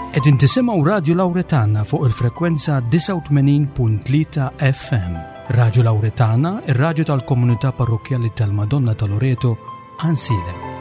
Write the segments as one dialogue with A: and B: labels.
A: Qegħdin tisimgħu Radju Lawretana fuq il-frekwenza 89.3 FM. Radju Lawretana, ir-radju tal-komunità parrokkjali tal-Madonna ta' Loreto, Għansielem.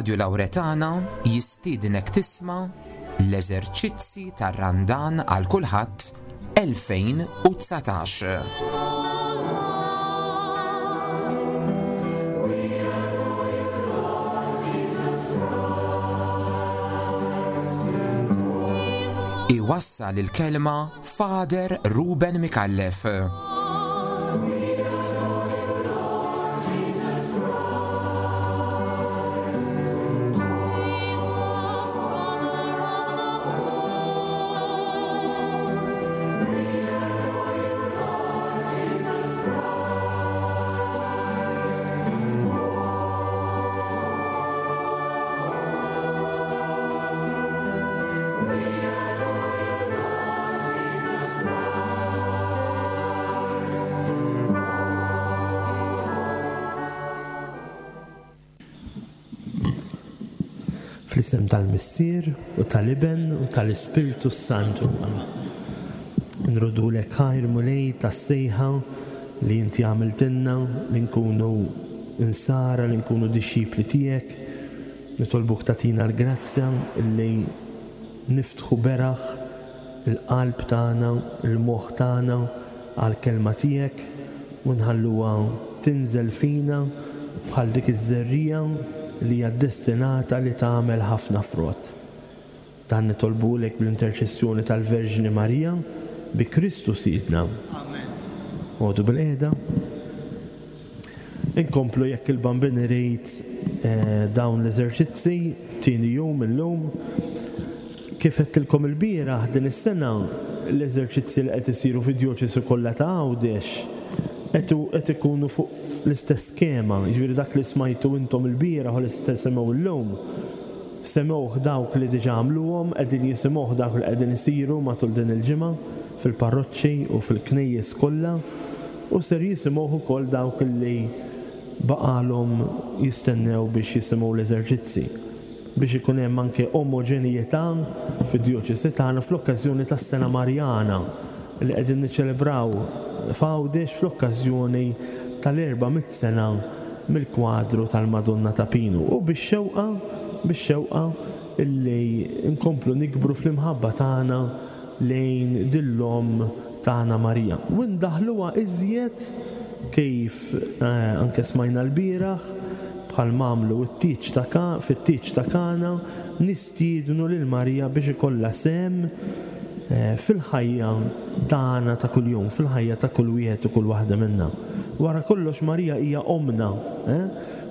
B: Radio Lauretana jistiednek tisma' l-eżerċizzi tar-Randan għal kulħadd 2019. Iwassal il-kelma Father Ruben Micallef.
C: Fl-isem tal-Missier u tal-Iben u tal-Ispirtu s-Santu. Nrodulek ħajr Mulej tas-sejħa li inti għamiltilna li nkunu insara, li nkunu dixxipli tiegħek. Nitolbuk tagħtina l-grazzja li niftħu beraħ il-qalb tagħna, il-moħħ tagħna għall-kelma tiegħek u nħalluha tinżel fina bħal dik iż-żerriegħa li hija ddestinata li tagħmel ħafna frott. Dan nitolbulek bl-interċessjoni tal-Verġni Marija, bi Kristu Sidna. Amen. Għodu bil-qiegħda. Inkomplu jekk il-Bambin irid eh, dawn l-eżerċizzi, tieni jum illum. Kif għedtilkom ilbieraħ din is-sena l-eżerċizzi li qed isiru fid-djoċesi kollha ta' Għawdex qed ikunu fuq l-istess skema, jiġifieri dak li smajtu intom ilbieraħ u li se tisimgħu llum, semgħuh dawk li diġà għamluhom, qegħdin jisimgħuh dawk li qegħdin isiru matul din il-ġimgħa fil-parroċċi u fil-knejjes kollha u ser jisimgħuh ukoll dawk li baqgħalhom jistennew biex jisimgħu l-eżerċizzi. Biex ikun hemm anke omoġenjetà fid-djoċesi tagħna fl-okkażjoni tas-Sena Marjana li qegħdin niċċelebraw f'Għawdex fl-okkażjoni tal-400 sena mill-kwadru tal-Madonna ta' Pinu u bix-xewqa bix-xewqa illi nkomplu nikbru fl-imħabba tagħna lejn din l-Omm tagħna Marija u ndaħħluha iżjed kif anke smajna lbieraħ bħal m'għamlu t-tieġ ta' Ka fit-tieġ ta' Kana nistiednu lil Marija biex ikollha sehem fil-ħajja tagħna ta' kuljum, fil-ħajja ta' kull wieħed u kull waħda minna. Wara kollox Marija hija ommna, eh?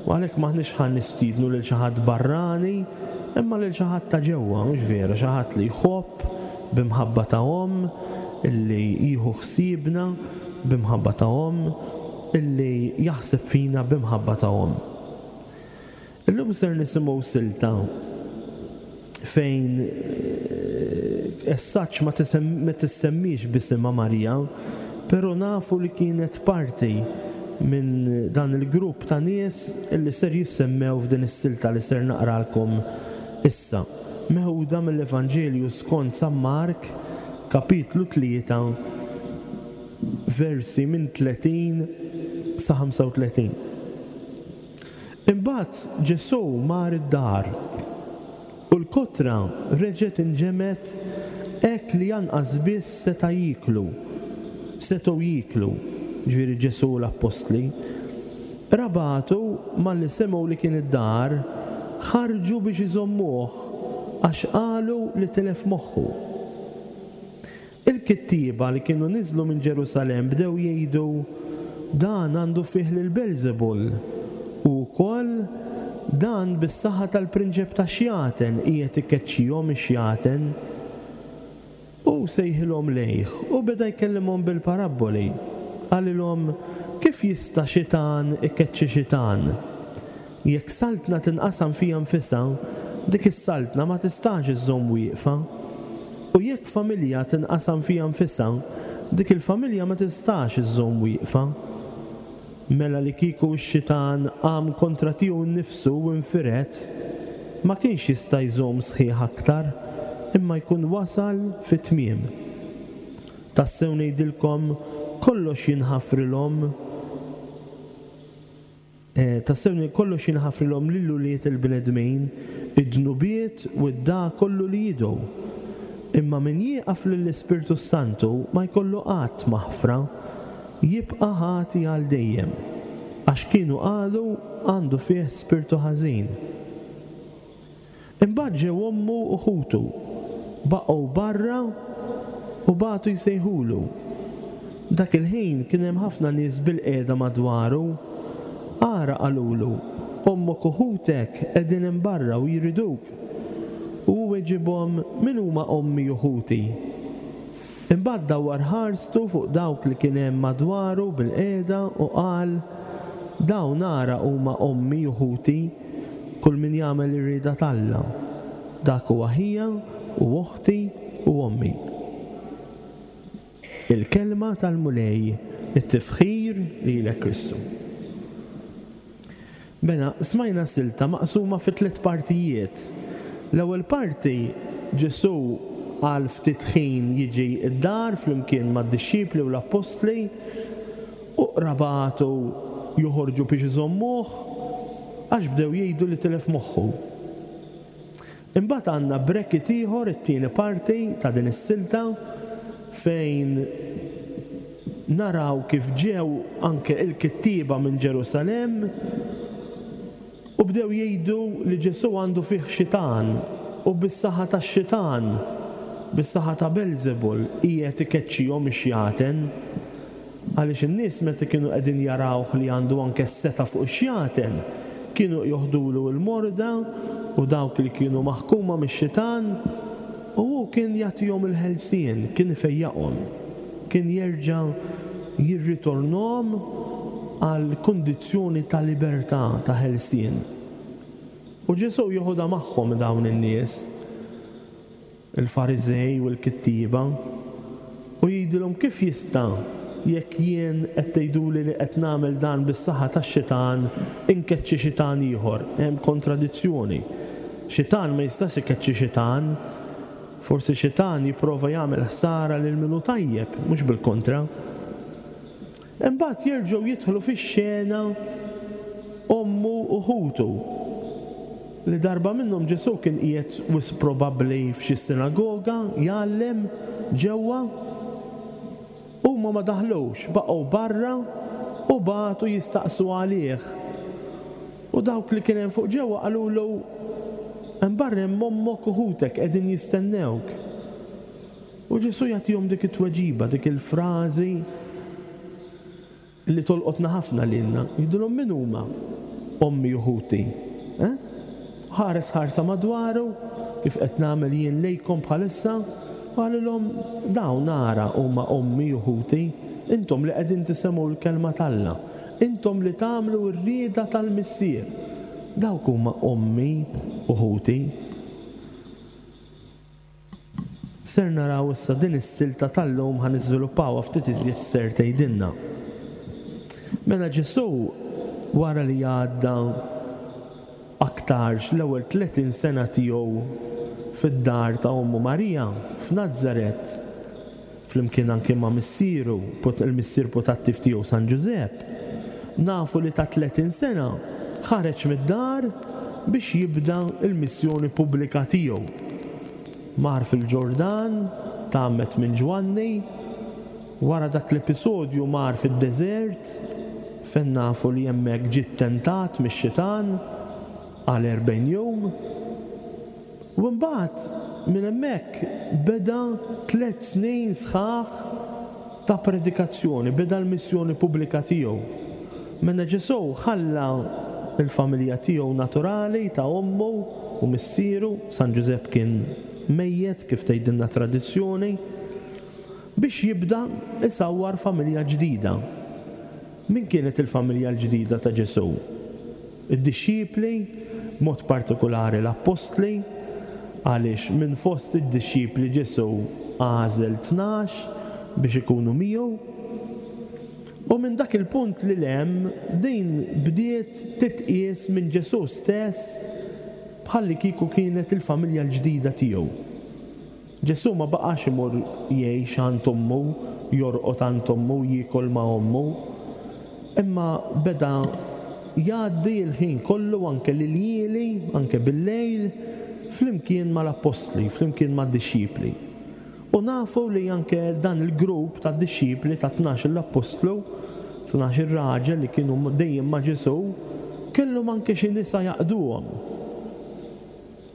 C: U għalhekk m'aħniex ħa nistiednu lil xi ħadd barrani, imma lil xi ħadd ta' ġewwa, mhux vera, xi ħadd li jħobb b'imħabba ta' omm, illi jieħu ħsiebna b'imħabba ta' omm, illi jaħseb fina b'imħabba ta' omm. Illum ser nisimgħu silta fejn as such ma tissemmiex b'isimha Marija, però nafu li kienet parti minn dan il-grupp ta' nies illi ser jissemmew f'din is-silta li ser naqralkom issa. Meħuda mill-Evanġelju skont San Mark, kapitlu 3, versi minn 30 sa 35. Imbagħad Ġesù mar id-dar, u l-kotra reġgħet inġemgħet hekk li anqas biss seta' jieklu, setgħu jieklu, jiġifieri Ġesù u l-appostli. Qrabatu, malli semgħu li kien id-dar, ħarġu biex iżommuh. għax qalu li tilef moħħu. Il-kittieba li kienu niżlu minn Ġerusalemm bdew jgħidu, Dan għandu fih lil Belżebul, u wkoll, Dan bis-saħħa tal-prinċep tax-xjaten qiegħed ikeċċihom ix-xjaten. Hu sejħilhom lejh u beda jkellimhom bil-parabboli. Qalilhom, Kif jista' xitan ikeċċi xitan? Jekk saltna tinqasam fiha nfisha, dik is-saltna ma tistax iżżomm wieqfa. U jekk familja tinqasam fiha nfisha, dik il-familja ma tistax iżżomm wieqfa. Mela li kieku x-xitan qam kontra tiegħu nnifsu u nfired, ma kienx jista' jżomm sħiħ aktar, imma jkun wasal fit-tmiem. Tassew ngħidilkom, kollox jinħafrilhom, tassew kollox jinħafrilhom lil ulied il-bnedmin, id-dnubiet u d-dagħa kollu li jidgħu. Imma min jieqaf lill-Ispirtu s-Santu ma jkollu qatt maħfra, jibqa' ħati għal dejjem, għax kienu qalu għandu fih spirtu ħażin. Imbagħad ġew ommu u ħutu, baqgħu barra u bagħtu jsejħulu. Dak il-ħin kien hemm ħafna nies bilqiegħda madwaru. Ara, qalulu, ommok u ħutek qegħdin hemm barra u jriduk. U hu weġibhom, Min huma ommi u ħuti? Imbagħad dawwar ħarstu fuq dawk li kien hemm madwaru bilqiegħda u qal, Dawn ara huma ommi u ħuti, kull min jagħmel ir-rieda t'Alla, dak huwa ħija u oħti u ommi. Il-Kelma tal-Mulej, It-tifħir lilek Kristu. Mela, smajna silta maqsuma fi tlett partijiet. L-ewwel parti, Ġesù għal ftit ħin jiġi d-dar flimkien mad-dixxipli u l-appostli, u qrabatu joħorġu biex iżommuh għax bdew jgħidu li tilef moħħu. Imbagħad għandna bracket ieħor, it-tieni parti ta' din is-silta, fejn naraw kif ġew anke il-kittieba minn Ġerusalemm u bdew jgħidu li Ġesù għandu fih xitan u bis-saħħa tax-xitan, bis-saħħa ta' Belżebul qiegħed ikeċċihom ix-xjaten. Għaliex in-nies meta kienu qegħdin jarawh li għandu anke s-setgħa fuq ix-xjaten, kienu joħdulu l-morda u dawk li kienu maħkuma mix-xitan, u hu kien jagħtihom il-ħelsien, kien ifejjaqhom, kien jerġa' jirritornhom għal kundizzjoni ta' libertà, ta' ħelsien. U Ġesù joħodha magħhom dawn in-nies. Il-Fariżej u l-kittieba, u jgħidilhom, Kif jista', jekk jien qed tgħiduli li qed nagħmel dan bis-saħħa tax-xitan, inkeċċi xitan ieħor? Hemm kontradizzjoni. Xitan ma jistax ikeċċi xitan. Forsi xitan jipprova jagħmel ħsara lil min hu tajjeb, mhux bil-kontra. Imbagħad jerġgħu jidħlu fix-xena ommu u ħutu, li darba minnhom Ġesù kien qiegħed wisq probabbli f'xi sinagoga jgħallem ġewwa. Huma ma daħlux, baqgħu barra u bagħtu jistaqsu għalih. U dawk li kien hemm fuq ġewwa qalulu, Hemm barra hemm ommok u ħutek qegħdin jistennewk. U Ġesù jagħtihom dik it-tweġiba, dik il-frażi li tolqotna ħafna lilna. Jgħidilhom min huma ommi u ħuti? Eh? Ħares ħarsa madwaru, kif qed nagħmel jien lejkom bħalissa, u qalilhom dawn ara huma ommi u ħuti, intom li qegħdin tisimgħu l-kelma t'Alla, intom li tagħmlu r-rieda tal-Missier. Dawk huma ommi u ħuti. Ser naraw issa din is-silta tal-lum ħa niżviluppawha ftit iżjed x'ser tgħidilna. Mela Ġesù wara li għadda aktarx l-ewwel 30 sena tiegħu fid-dar ta' ommu Marija f'Nazaret, flimkien anki ma' missieru, il-missier putattiv tiegħu San Ġużepp, nafu li ta' 30 sena ħareġ mid-dar biex jibda l-missjoni pubblika tiegħu. Mar fil-Ġordan, tgħammed minn Ġwanni, wara dak l-episodju mar fid-deżert, fejn nafu li hemmhekk ġie ttentat mix-xitan għal 40 jum. U mbagħad minn hemmhekk beda tlett snin sħaħ ta' predikazzjoni, beda l-missjoni pubblika tiegħu. Mela Ġesù ħalla l-familja tiegħu naturali ta' ommu u missieru, San Ġużepp kien mejjet kif tgħidilna t-tradizzjoni, biex jibda jsawwar familja ġdida. Min kienet il-familja l-ġdida ta' Ġesù? Id-dixxipli, b'mod partikulari l-appostli, għaliex minn fost id-dixxipli Ġesù għażel 12 biex ikunu miegħu. U minn dak il-punt lil hemm din bdiet titqies minn Ġesù stess bħallikieku kienet il-familja l-ġdida tiegħu. Ġesù ma baqax imur jgħix għand ommu, jorqod għand ommu, jiekol ma' ommu, imma beda jgħaddi l-ħin kollu, anke l-iljieli, anke bil-lejl, flimkien mal-appostli, flimkien mad-dixxipli. U nafu li anke dan il-grupp ta' dixxipli ta' tnax-il appostlu, tnax-il raġel li kienu dejjem ma' Ġesù, kellhom anke xi nisa jaqduhom.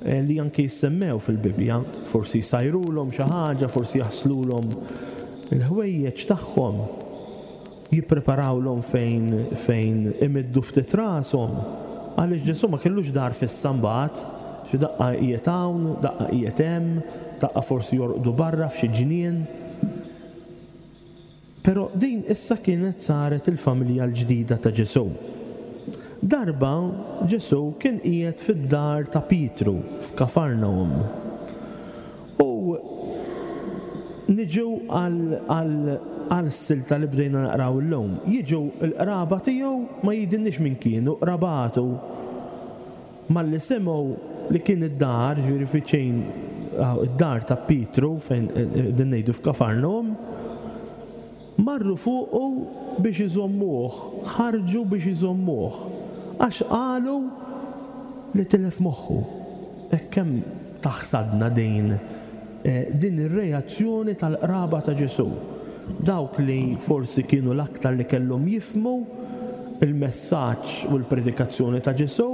C: Li anke jissemmew fil-Bibbja, forsi jsajrulhom xi ħaġa, forsi jaħslulhom il-ħwejjeġ tagħhom, jippreparawlhom fejn fejn imiddu ftit rashom, għaliex Ġesù ma kellux dar fissa mbagħad, xi daqqa qiegħed hawn, daqqa qiegħed hemm, daqqa forsi jorqdu barra f'xi ġnien. Però din issa kienet saret il-familja l-ġdida ta' Ġesù. Darba Ġesù kien qiegħed fid-dar ta' Pietru f'Kafarnahum. U niġu għal-silta li bdejna naqraw illum. Jiġu l-qraba tiegħu, ma jgħidilniex min kienu, qrabatu. Malli semgħu li kien id-dar, jiġifieri viċin id-dar ta' Pietru fejn qegħdin ngħidu f'Kafarnahum, marru fuqu biex iżommuh, ħarġu biex iżommuh, għax qalu li tilef moħħu. Hekk kemm taħsadna din din ir-reazzjoni tal-qraba ta' Ġesù. Dawk li forsi kienu l-aktar li kellhom jifhmu l-messaġġ u l-predikazzjoni ta' Ġesù,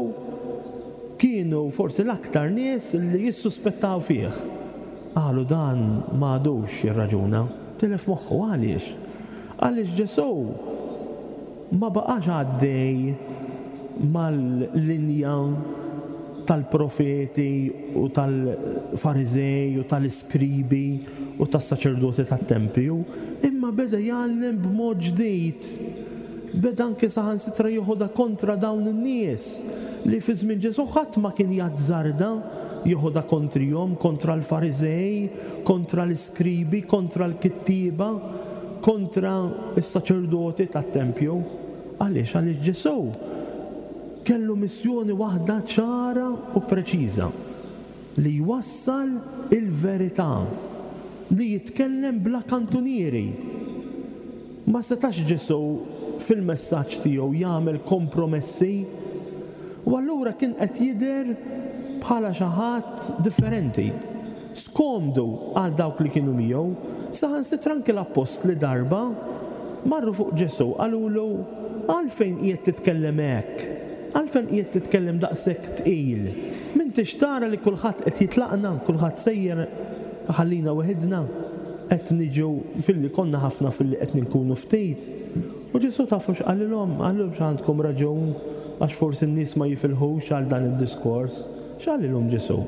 C: kienu forsi l-aktar nies li jissuspettaw fih. Qalu dan m'għadux jirraġuna, tilef moħħu. Għaliex? Għaliex Ġesù ma baqax għaddej mal-linja tal-profeti u tal-Fariżej u tal-iskribi u tas-saċerdoti tat-tempju, imma beda jgħallem b'mod ġdid. Beda anke saħansitra jeħodha kontra dawn in-nies li fi żmien Ġesù ħadd ma kien jazzarda jeħodha kontrihom, kontra l-Fariżej, kontra l-iskribi, kontra l-kittieba, kontra s-saċerdoti tat-tempju. Għaliex? Għaliex Ġesù kellu missjoni waħda ċara u preċiża, li jwassal il-verità, li jitkellem bla kantunieri. Ma setax Ġesù fil-messaġġ tiegħu jagħmel kompromessi u allura kien qed jidher bħala xi ħadd differenti. Skomdu għal dawk li kienu miegħu, saħansitra anki l-appostli darba marru fuq Ġesù qalulu, Għalfejn qiegħed titkellem hekk? Għalfejn qiegħed titkellem daqshekk tqil? M'intix tara li kulħadd qed jitlaqna, kulħadd sejjer iħallina weħidna? Qed niġu filli konna ħafna filli qed inkunu ftit. U Ġesù tafu x'qalilhom? Qalilhom x'għandkom raġun għax forsi n-nies ma jifilħux għal dan id-diskors. X'qalilhom Ġesù?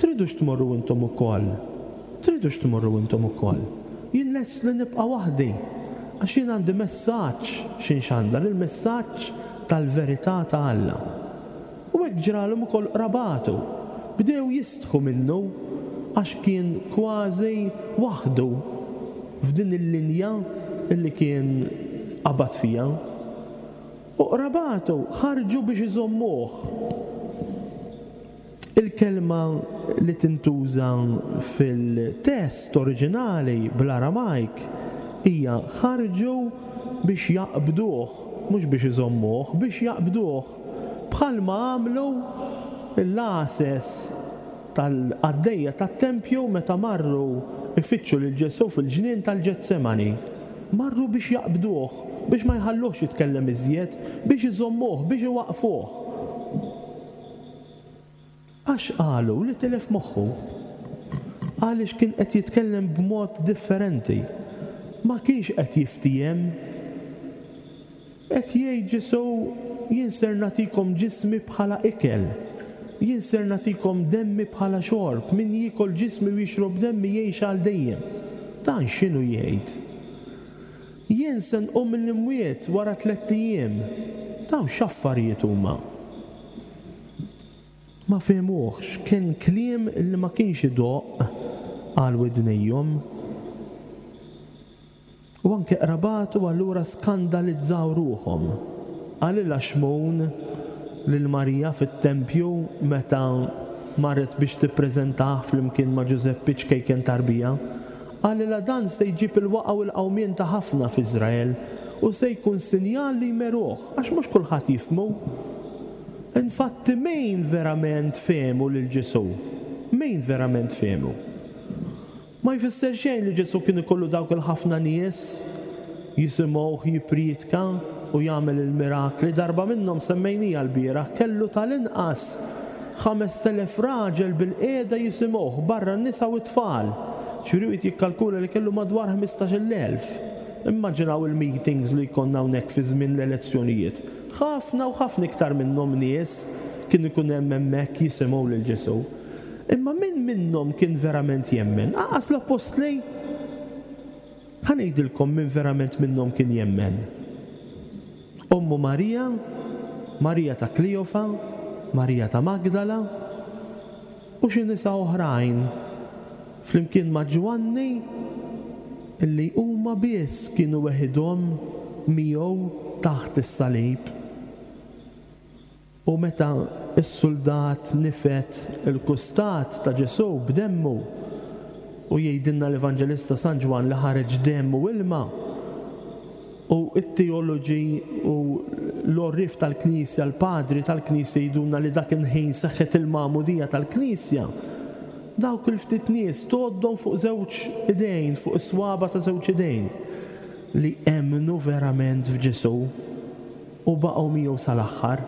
C: Tridux tmorru intom ukoll? Tridux tmorru intom ukoll? Jien lest li nibqa' waħdi, għax jien għandi messaġġ xi nxandar, il-messaġġ tal-verità ta' Alla. U hekk ġralhom ukoll qrabatu. Bdew jistħu minnu għax kien kważi waħdu f'din il-linja li kien qabad fiha. U qrabatu ħarġu biex iżommuh. Il-kelma li tintuża fil-test oriġinali bl-Aramajk hija ħarġu biex jaqbduh, mhux biex iżommuh, biex jaqbduh, bħalma għamlu l-għases tal-qaddejja tat-tempju meta marru jfittxu lil Ġesù fil-ġnien tal-Ġetsemani. Marru biex jaqbduh, biex ma jħalluhx jitkellem iżjed, biex iżommuh, biex iwaqqfuh. Għax qalu li tilef moħħu. Għaliex kien qed jitkellem b'mod differenti. Ma kienx qed jiftiehem. Qed jgħid Ġesù, Jien ser nagħtikom ġismi bħala ikel. Jien ser nagħtikom demmi bħala xorb. Min jiekol ġismi u jixrob demmi jgħix għal dejjem. Dan x'inhu jgħid? Jien se nqum mill-imwiet wara tlett ijiem. Dawn x'affarijiet huma? Ma fehmuhx, kien kliem li ma kienx idoqq għal widnejhom. U anke qrabatu allura skandalizzaw ruħhom. Qalilha Xmun lil Marija fit-tempju meta marret biex tippreżentah flimkien ma' Ġużeppi ċkejken tarbija. Qalilha dan se jġib il-waqgħa u l-qawmien ta' ħafna f'Iżrael u se jkun sinjal li jmeruh, għax mhux kulħadd jifhmu. Infatti min verament fehmu lil Ġesù? Min verament fehmu? Ma jfisser xejn li Ġesù kien ikollu dawk il-ħafna nies jisimgħuh jippriedka u jagħmel il-mirakli. Darba minnhom semmejniha lbieraħ, kellu tal-inqas 5,000 raġel bilqiegħda jisimgħuh, barra n-nisa u t-tfal. Ġifieri wieħed jikkalkula li kellu madwar 15,000. Immaġinaw il-meetings li jkollna hawnhekk fi żmien l-elezzjonijiet. Ħafna u ħafna iktar minnhom nies kien ikun hemm hemmhekk jisimgħu lil Ġesù. Imma min minnhom kien verament jemmen? Anqas l-appostli? Ħa ngħidilkom min verament minnhom kien jemmen. Ommu Marija, Marija ta' Kleofa, Marija ta' Magdala, u xi nisa oħrajn, flimkien ma' Ġwanni, li huma biss kienu weħidhom miegħu taħt is-salib. U meta s-suldat nifed il-kustat ta' Ġesù b'demmu, u jgħidilna l-Evanġelista San Ġwann li ħareġ demm u ilma, u t-teoloġi u l-għorrief tal-Knisja, l-padri tal-Knisja jgħidulna li dak il-ħin seħħet il-magħmudija tal-Knisja, dawk il-ftit nies tgħoddhom fuq żewġ idejn, fuq is-swaba' ta' żewġ idejn, li emmnu verament f'Ġesù. U baqgħu miegħu sal-aħħar.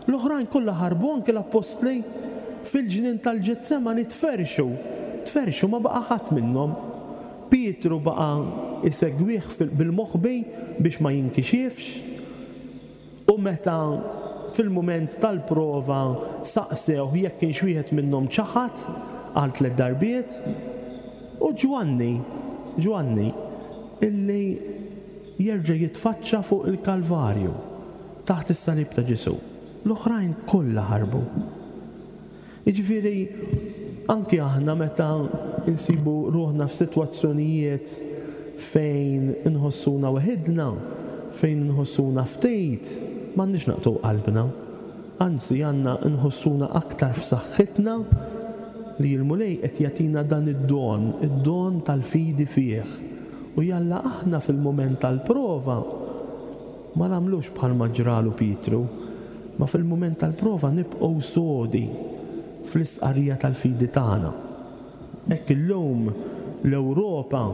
C: L-oħrajn kollha ħarbu, anki l-appostli. Fil-ġnien tal-Ġetsemani tferrxu. Tferrxu, ma baqa' ħadd minnhom. Pietru baqa' jsegwih bil-moħbi biex ma jinkixifx. U meta fil-mument tal-prova saqsewh jekk kienx wieħed minnhom ċaħad għal tlett darbiet. U Ġwanni, Ġwanni, illi jerġa' jitfaċċa fuq il-Kalvarju, taħt is-salib ta' Ġesù. L-oħrajn kollha ħarbu. Jiġifieri, anki aħna meta nsibu ruħna f'sitwazzjonijiet fejn inħossuna weħidna, fejn inħossuna ftit, m'għandniex naqtgħu qalbna. Anzi, għandna nħossuna aktar f'saħħitna li l-Mulej qed jagħtina dan id-don, id-don tal-fidi fih. U jalla aħna fil-mument tal-prova ma nagħmlux bħalma ġralu Pietru, ma fil-mument tal-prova nibqgħu sodi fl-istqarrija tal-fidi tagħna. Hekk illum l-Ewropa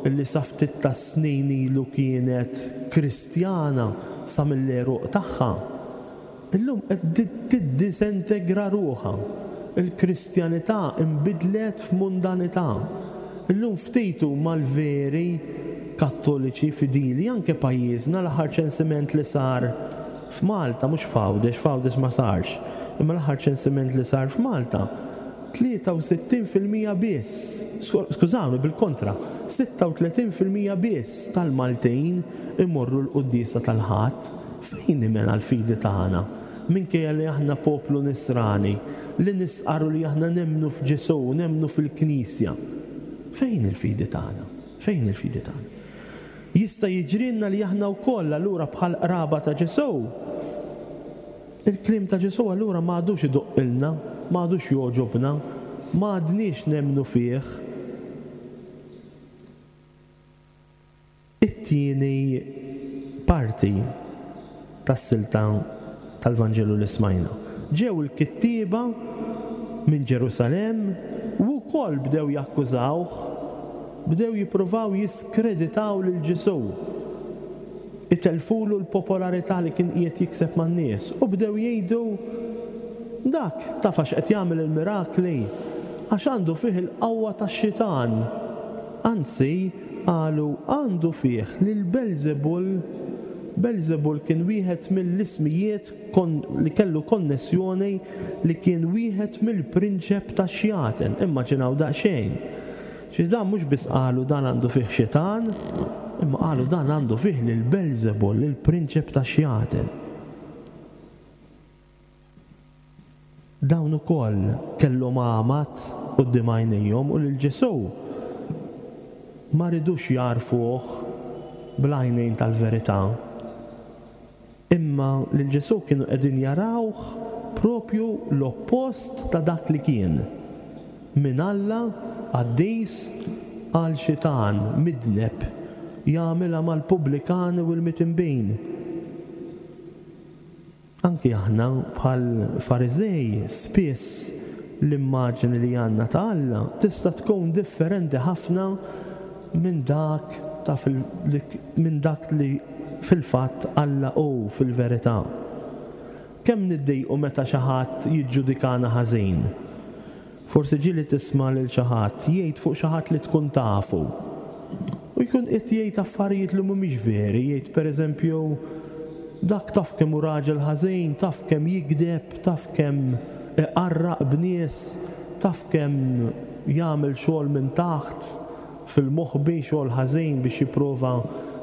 C: li sa ftit tas-snin ilu kienet Kristjana sa mill-għeruq tagħha, Illum qed tiddisintegra ruħha. Il-Kristjanità nbidlet f'mundanità. Illum ftit huma l-veri Kattoliċi fidili, anke pajjiżna, l-aħħar ċensiment li sar f'Malta, mhux f'Għawdex, f'Għawdex ma sarx, imma l-aħħar ċensiment li sar f'Malta, 63% biss, skużawni, bil-kontra, 36% biss tal-Maltin imorru l-quddiesa tal-Ħadd. Fejn hi mela l-fidi tagħna? Minkejja li aħna poplu nisrani, li nistqarru li aħna nemmnu f'Ġesù, nemmnu fil-Knisja, fejn hi l-fidi tagħna? Fejn hi l-fidi tagħna? Jista' jiġrilna li aħna wkoll allura bħal qraba ta' Ġesù, il-kliem ta' Ġesù allura ma għadux idoqqilna, ma għadux jogħġobna, ma għadniex nemmnu fih. It-tieni parti tas-silta tal-Vanġelu li smajna. Ġew il-kittieba minn Ġerusalemm u wkoll bdew jakkużawh, bdew jippruvaw jiskreditaw lil Ġesù, itellfulu l-popolarità li kien qiegħed jikseb man-nies u bdew jgħidu. Dak taf għax qed jagħmel il-mirakli? Għax għandu fih il-qawwa tax-xitan. Anzi, qalu, għandu fih lil Belżebul. Belżebul kien wieħed mill-ismijiet li kellu konnessjoni li kien wieħed mill-prinċep tax-xjaten. Immaġinaw daqsxejn. Xi dan mhux biss qalu dan għandu fih xitan, imma qalu dan għandu fih lil Belżebul, il-prinċep tax-xjaten. Dawn ukoll kellhom għamad quddiem għajnejhom u lil Ġesù ma ridux jagħrfuh bl-għajnejn tal-verità. Imma lil Ġesù kienu qegħdin jarawh proprju l-oppost ta' dak li kien, minn Alla qaddis għal xitan midneb jagħmilha mal-pubblikani u l-mitinbin. Anki aħna, bħall-Fariżej, spiss l-immaġni li għandna ta' Alla tista' tkun differenti ħafna minn dak ta' minn dak li fil-fatt Alla hu fil-verità. Kemm niddejqu meta xi ħadd jiġġudikana ħażin? Forsi ġieli tisma' lil xi ħadd jgħid fuq xi ħadd li tkun tafu. U jkun qed jgħid affarijiet li mhumiex veri, jgħid pereżempju, dak taf kemm hu raġel ħażin, taf kemm jigdeb, taf kemm iqarraq b'nies, taf kemm jagħmel xogħol minn taħt, fil-moħbi, xogħol ħażin biex jipprova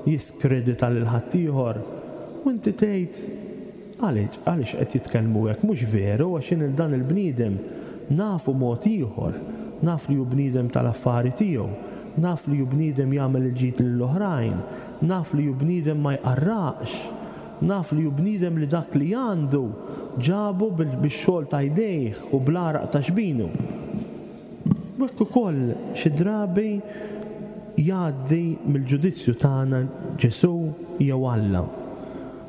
C: jiskredita lil ħaddieħor. U inti tgħid, Għaliex? Għaliex qed jitkellmu hekk? Mhux veru, għax jien 'il dan il-bniedem nafu mod ieħor. Naf li hu bniedem tal-affari tiegħu. Naf li hu bniedem jagħmel il-ġid lill-oħrajn. Naf li hu bniedem ma jqarraqx. Naf li hu bniedem li dak li għandu ġabu bix-xogħol ta' jdejh u bl-għaraq ta' xbinu. U hekk ukoll xi drabi jgħaddi mill-ġudizzju tagħna Ġesù jew Alla.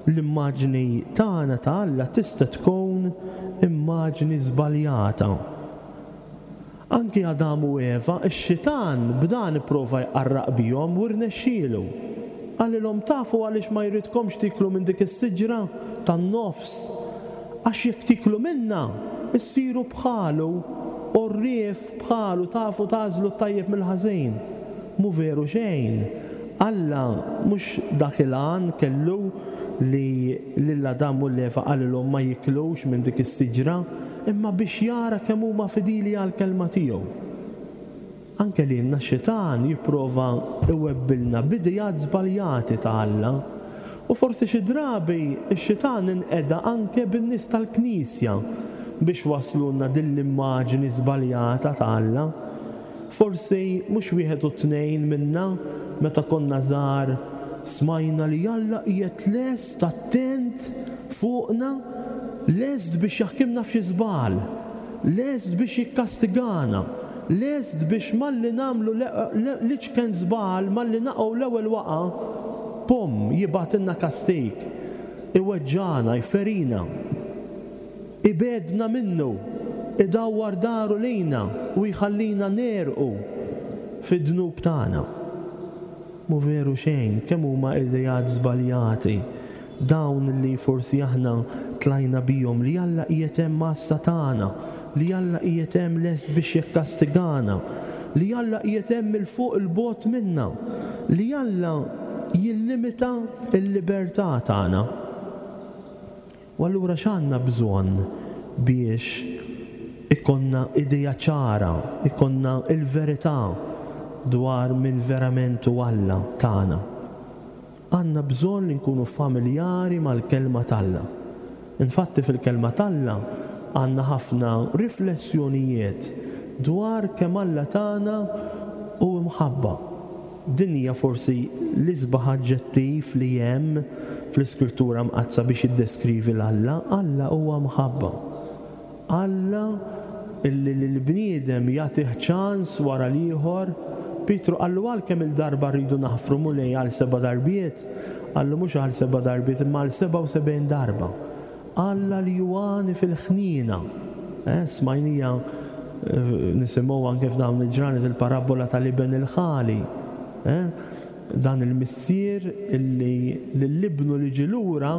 C: L-immaġni tagħna ta' Alla tista' tkun immaġni żbaljata. Anki Adam u Eva, ix-Xitan b'dan ipprova jqarraq bihom u rnexxielu. Qalilhom, Tafu għaliex ma jridkomx tieklu minn dik is-siġra tan-nofs? Għax jekk tieklu minnha, issiru bħalu, għorrief bħalu, tafu tagħżlu t-tajjeb mill-ħażin. Mhu veru xejn. Alla mhux dak il-għan kellu li lil Adam u 'l Eva qalilhom ma jiklux minn dik is-siġra, imma biex jara kemm huma fidili għall-kelma tiegħu. Anke lilna x-xitan jipprova jwebbilna b'ideat żbaljati ta' Alla. U forsi xi drabi x-xitan inqeda anke bin-nies tal-Knisja biex wasslulna din l-immaġni żbaljata ta' Alla. Forsi mhux wieħed u tnejn minna meta konna żgħar smajna li Alla qiegħed lest attent fuqna, lest biex jaħkimna f'xi żball, lest biex jikkastigana, lest biex malli nagħmlu l-iċken żball, malli naqgħu l-ewwel waqgħa, pum, jibgħatilna kastig, iweġġagħna, jferina. Ibegħedna minnu, idawwar dahru lejna u jħallina negħrqu fid-dnub tagħna. Mhu veru xejn, kemm huma ideat żbaljati dawn li forsi aħna tlajna bihom li Alla qiegħed hemm għassa tagħna, li Alla qiegħed hemm lest biex jikkastigana, li Alla qiegħed hemm 'il fuq 'il bogħod minna, li Alla jillimita l-libertà tagħna. U allura x'għandna bżonn biex ikollna idea ċara, ikollna l-verità dwar min verament hu Alla tagħna? Għandna bżonn li nkunu familjari mal-Kelma t'Alla. Infatti fil-Kelma t'Alla għandna ħafna riflessjonijiet dwar kemm Alla tagħna hu imħabba. Din hija forsi l-isbaħ aġġettiv li hemm fl-Iskrittura Mqaddsa biex jiddeskrivi 'l Alla, Alla huwa mħabba. Alla illi lill-bniedem jagħtih ċans wara l-ieħor. Pietru qallu għal kemm-il darba rridu naħfru Mulej għal seba' darbiet? Qallu mhux għal seba' darbiet imma għal 77 darba. Alla li hu għani fil-ħniena. Eh, smajnija eh, nisimgħu anke f'dawn il-ġranet il-parabbola tal-iben il-ħali. Eh? Dan il-missier illi lill-ibnu li ġie lura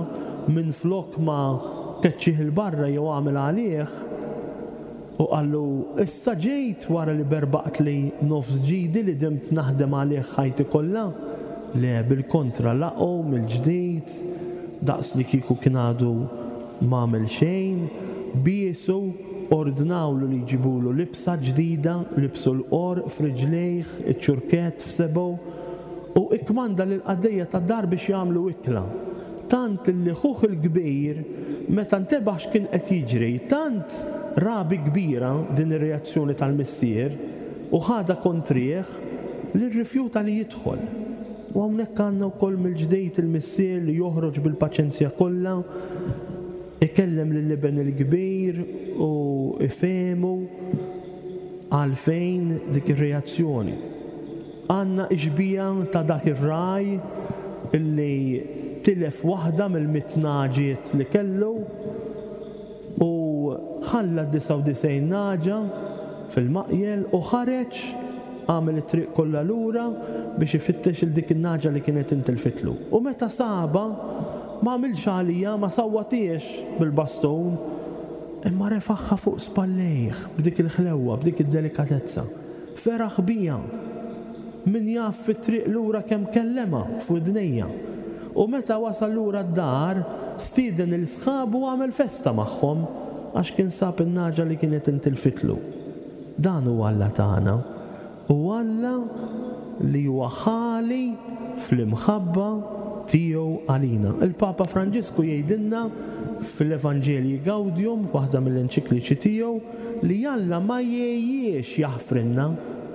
C: minflok ma keċċih 'il barra jew għamel għalih u qallu, 'Issa ġejt wara li berbaqtli nofs ġidi li dimt naħdem għalih ħajti kollha? Le, bil-kontra laqgħu mill-ġdid daqs li kieku kien għadu m'għamel xejn, biesu, ordnawlu li jġibulu libsa ġdida, libsu l-qorq f'riġlejh, iċ-ċurkett f'sebgħu, u ikkmanda lill-qaddejja tad-dar biex jagħmlu ikla. Tant li ħuh il-kbir, meta ntebaħ x'kien qed jiġri, tant ra bi kbira din ir-reazzjoni tal-missier u ħadha kontrih li rrifjuta li jidħol. U hawnhekk għandna wkoll mill-ġdid il-missier li joħroġ bil-paċenzja kollha, ikellem lill-iben il-kbir u jfehmu għalfejn dik ir-reazzjoni. Għandna x-xbieha ta' dak ir-ragħaj li tilef waħda mill-mitt nagħġiet li kellu u ħalla d-99 nagħġa fil-maqjel u ħareġ għamel it-triq kollha lura biex ifittex 'il dik in-nagħġa li kienet intilfitlu. U meta sabha, ma għamilx għaliha, ma sawwatiex bil-bastun, imma refagħha fuq spallejh b'dik il-ħlewwa, b'dik id-delikatezza. Feraħ bija. Min jaf fit-triq lura kemm kellemha f'widnejja. U meta wasal lura d-dar, stieden 'il sħabu u għamel festa magħhom għax kien sab in-nagħġa li kienet intilfitlu. Dan hu Alla tagħna. Hu Alla li huwa ħali fl-imħabba tiegħu għalina. Il-Papa Franġisku jgħidilna fl-Evangelii Gaudium, waħda mill-enċikliċi tiegħu, Li Alla ma jgħejjiex jaħfrilna,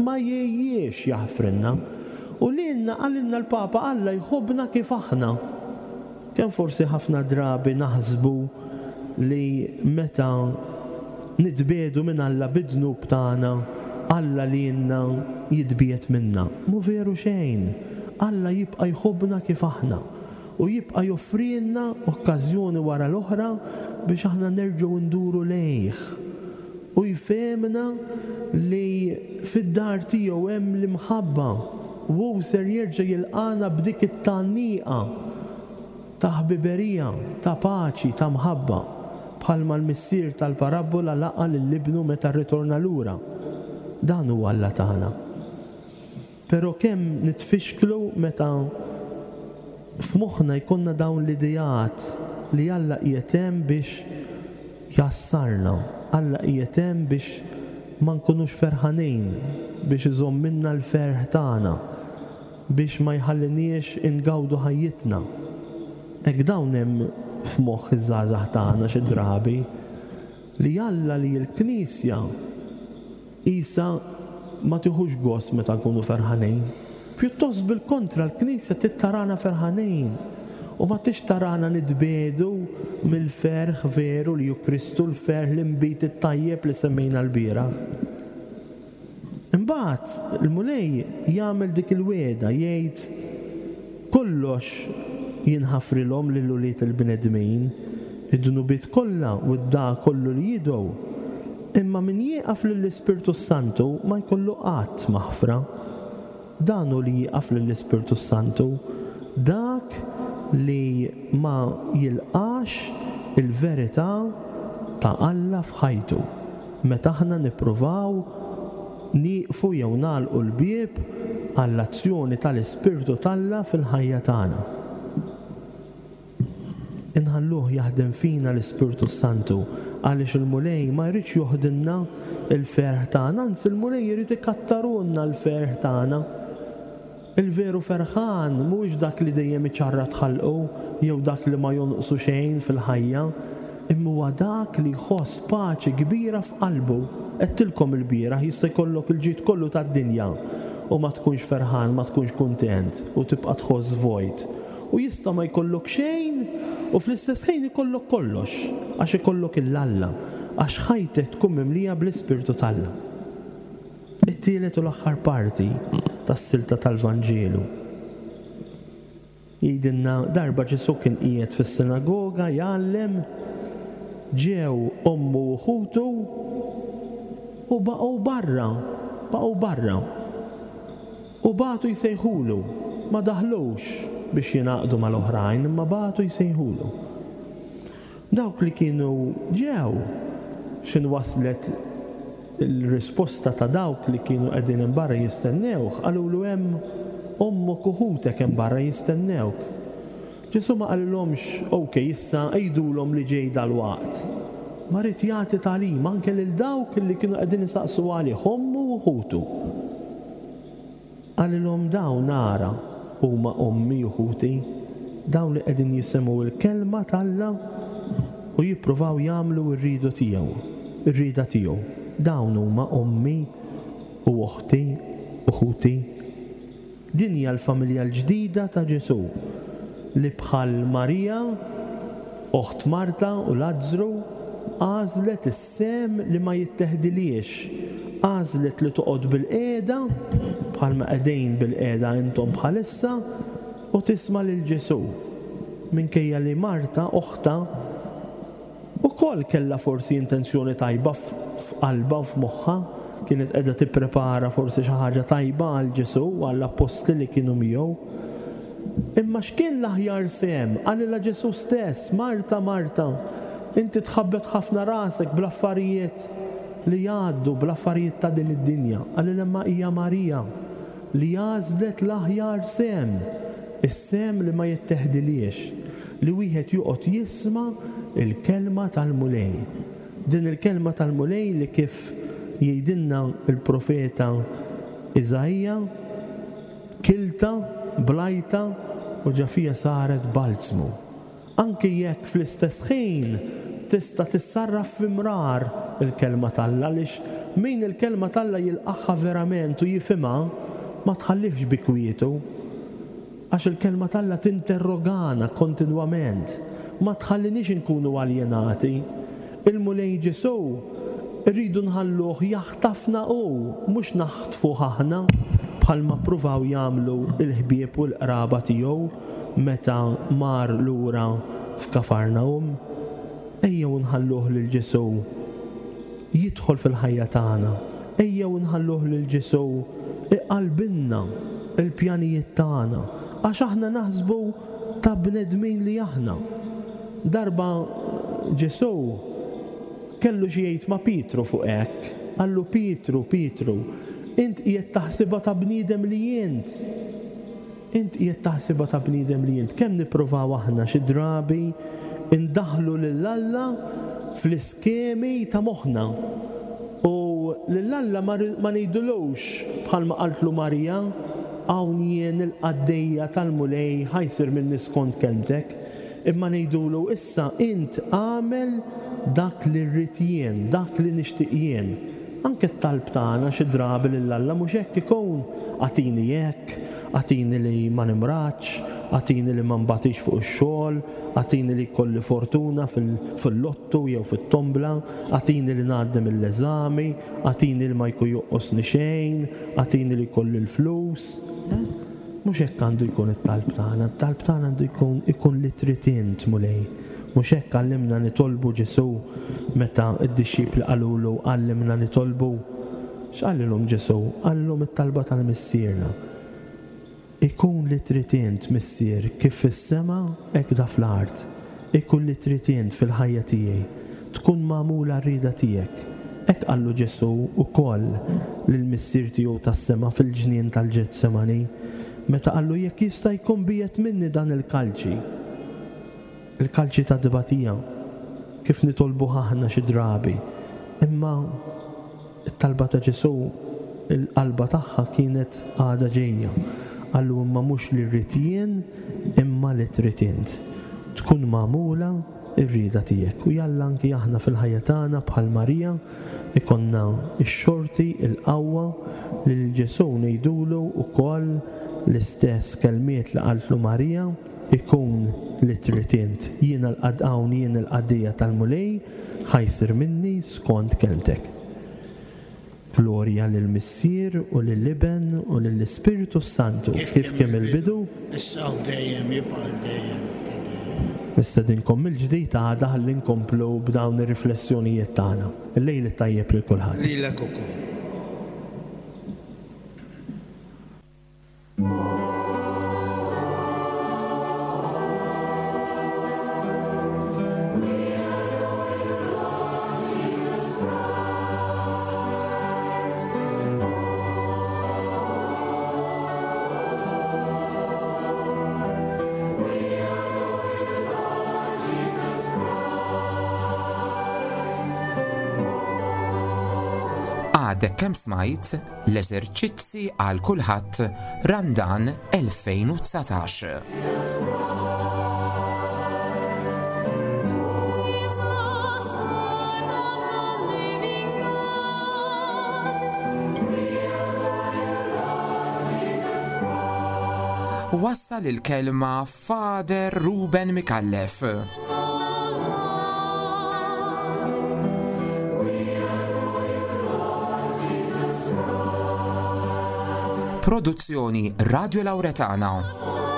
C: ma jgħejjiex jaħfrilna. U lilna, qalilna l-Papa, Alla jħobbna kif aħna. Kemm forsi ħafna drabi naħsbu li meta nitbiegħdu minn Alla bid-dnub tagħna, Alla lilna jitbiegħed minna. Mhu veru xejn. Alla jibqa' jħobbna kif aħna. U jibqa' joffrilna okkażjoni wara l-oħra biex aħna nerġgħu nduru lejh. U jfehmna li fid-dar tiegħu hemm l-imħabba u hu ser jerġa' jilqagħna b'dik it-tgħanniqa ta' ħbiberija, ta' paċi, ta' mħabba, bħalma l-missier tal-parabbola laqa' lil ibnu meta rritorna lura. Dan hu Alla tagħna. Però kemm nitfixklu meta f'moħħna jkollna dawn l-ideat li Alla qiegħed hemm biex jgħassarna, Alla qiegħed hemm biex ma nkunux ferħanin, biex iżommilna l-ferħ tagħna, biex ma jħalliniex ingawdu ħajjitna. Hekk dawn hemm f'moħħ iż-żgħażagħ tagħna xi drabi li Alla li l-Knisja Qisha ma tieħux gost meta nkunu ferħanin. Pjuttost bil-kontra l-Knisja trid tarana ferħanin u ma tridx tarana nitbiegħdu mill-ferħ veru li hu Kristu, l-ferħ, l-inbid it-tajjeb li semmejna lbieraħ. Imbagħad il-Mulej jagħmel dik il-wegħda, jgħid, Kollox jinħafrilhom lil ulied il-bnedmin, id-dnubiet kollha u d-dagħa kollu li jidgħu, imma min jieqaf lill-Ispirtu s-Santu ma jkollu qatt maħfra. Dan hu li jieqaf lill-Ispirtu s-Santu, dak li ma jilqax il-verità ta' Alla f'ħajtu. Meta aħna nippruvaw nieqfu jew nagħlqu l-bieb għall-azzjoni tal-Ispirtu t'Alla fil-ħajja tagħna. Inħalluh jaħdem fina l-Ispirtu s-Santu għaliex il-Mulej ma jridx joħdilna l-ferħ tagħna, anzi l-Mulej irid ikattarulna l-ferħ tagħna. Il-veru ferħan mhuwiex dak li dejjem iċarrat ħalqu jew dak li ma jonqsu xejn fil-ħajja, imma huwa dak li jħoss paċi kbira f'qalbu. Għedtilkom ilbieraħ, jista' jkollok il-ġid kollu tad-dinja u ma tkunx ferħan, ma tkunx kuntent u tibqa' tħoss vojt. U jista' ma jkollok xejn u fl-istess ħin ikollok kollox, għax ikollok 'il Alla, għax ħajtek tkun mimlija bl-Ispirtu t'Alla. It-tielet u l-aħħar parti tas-silta tal-Vanġelu. Jgħidilna darba Ġesù kien qiegħed fis-sinagoga jgħallem, ġew ommu u ħutu u baqgħu barra, baqgħu barra. U bagħtu jsejħulu, ma daħlux biex jingħaqdu mal-oħrajn imma bagħtu jsejħulu. Dawk li kienu ġew, x'in waslet il-risposta ta' dawk li kienu qegħdin hemm barra jistennewh, qalulu hemm ommok u ħutek hemm barra jistennewk. Ġesù ma qalilhomx, Ok, issa għidulhom li ġej dalwaqt. Ma ried jagħti tagħlim anke lil dawk li kienu qegħdin isaqsu għalih, ommu u ħutu. Qalilhom, Dawn, ara, huma ommi u ħuti, dawn li qegħdin jisimgħu l-kelma t'Alla u jippruvaw jagħmlu r-ridu tiegħu, ir-rieda tiegħu. Dawn huma ommi u oħti u ħuti. Din hija l-familja l-ġdida ta' Ġesù, li bħal Marija, oħt Marta u Lazzru, għażlet is-sehem li ma jitteħdilhiex, għażlet li toqgħod bilqiegħda, bħalma qegħdin bilqiegħda intom bħalissa, u tisma' lil Ġesù, minkejja li Marta, oħtha, Ukoll kellha forsi intenzjoni tajba f'qalbha u f'moħħha, kienet qiegħda tipprepara forsi xi ħaġa tajba għal Ġesù u għall-appostli li kienu miegħu. Imma x'kien l-aħjar sehem? Qalilha Ġesù stess, Marta, Marta, inti tħabbet ħafna rasek bl-affarijiet li jgħaddu, bl-affarijiet ta' din id-dinja. Qalilha imma hija Marija li għażlet l-aħjar sehem, is-sehem li ma jitteħdilhiex. Li wieħed joqgħod jisma' l-kelma tal-Mulej. Din il-kelma tal-Mulej li kif jgħidilna l-profeta Iżaija, kiltha, blajtha u ġa fija saret balzmu. Anki jekk fl-istess ħin tista' tissarraf fi mrar il-kelma t'Alla għaliex min il-kelma t'Alla jilqagħha verament u jifhimha ma tħallihx bi kwietu. Għax il-Kelma t'Alla tinterrogana kontinwament, ma tħalliniex inkunu aljenati. Il-Mulej Ġesù rridu nħalluh jaħtafna hu, mhux naħtfuh aħna, bħalma ppruvaw jagħmlu l-ħbieb u l-qraba tiegħu meta mar lura f'Kafarnahum. Ejjew nħalluh lil Ġesù jidħol fil-ħajja tagħna. Ejjew inħalluh lil Ġesù iqallbilna l-pjanijiet tagħna, għax aħna naħsbu ta' bnedmin li aħna. Darba Ġesù kellu xi jgħid ma' Pietru fuq hekk. Qallu, Pietru, Pietru, int qiegħed taħsibha ta' bniedem li int. Int qiegħed taħsibha ta' bniedem li int. Kemm nippruvaw aħna xi drabi ndaħħlu lil Alla fl-iskemi ta' moħħna. U lil Alla ma ngħidulux bħalma qaltlu Marija, Hawn jien il-qaddejja tal-Mulej ħa jsir minni skont kelmtek. Imma ngħidulu issa int agħmel dak li rrid jien, dak li nixtieq jien. Anke t-talb tagħna xi drabi lil Alla mhux hekk ikun? Agħtini hekk, agħtini li ma nimradx, agħtini li ma nbatix fuq ix-xogħol, agħtini li jkolli fortuna fil-lottu jew fit-tombla, agħtini li ngħaddi mill-eżami, agħtini li ma jkun jonqosni xejn, agħtini li jkolli l-flus. Mhux hekk għandu jkun it-talb tagħna, it-talb tagħna għandu jkun ikun li trid int, Mulej. Mhux hekk għallimna nitolbu Ġesù meta d-dixxipli qalulu għallimna nitolbu? X'qalilhom Ġesù? Qalilhom it-talba tal-Missierna. Ikun li trid int, Missier, kif fis-sema hekk da fl-art. Ikun li trid int fil-ħajja tiegħi. Tkun magħmula r-rieda tiegħek. Hekk qallu Ġesù wkoll lill-Missier tiegħu tas-sema fil-ġnien tal-Ġetsemani, meta qallu jekk jista' jkun biegħed minni dan il-kalċi. Il-kalċi ta' tbatija, kif nitolbuh aħna xi drabi. Imma t-talba ta' Ġesù, il-qalba tagħha kienet għadha ġejja. Qallu imma mhux li rrid jien imma li trid int. Tkun magħmula r-rieda tiegħek. U jalla anki aħna fil-ħajja tagħna bħal Marija ikollna x-xorti, il-qawwa li lil Ġesù ngħidulu wkoll l-istess kelmiet li qaltlu Marija, Ikun li trid int. Jiena l-qad hawn jien il-qaddejja tal-Mulej, ħa jsir minni skont kelmtek. Glorja lill-Missier u lill-Iben u lill-Ispirtu s-Santu, kif kien mill-bidu,
D: issa u dejjem, jibqa' għal dejjem ta' dejjem.
C: Nistedinkom mill-ġdid għada ħalli nkomplu b'dawn ir-riflessjonijiet tagħna. Il-lejl it-tajjeb lil kulħadd.
D: Lilek ukoll.
B: Għadek kemm smajt l-eżerċizzi għal kulħadd Randan 2019. Wassal il-kelma Father Ruben Micallef. Produzzjoni Radio Lauretana.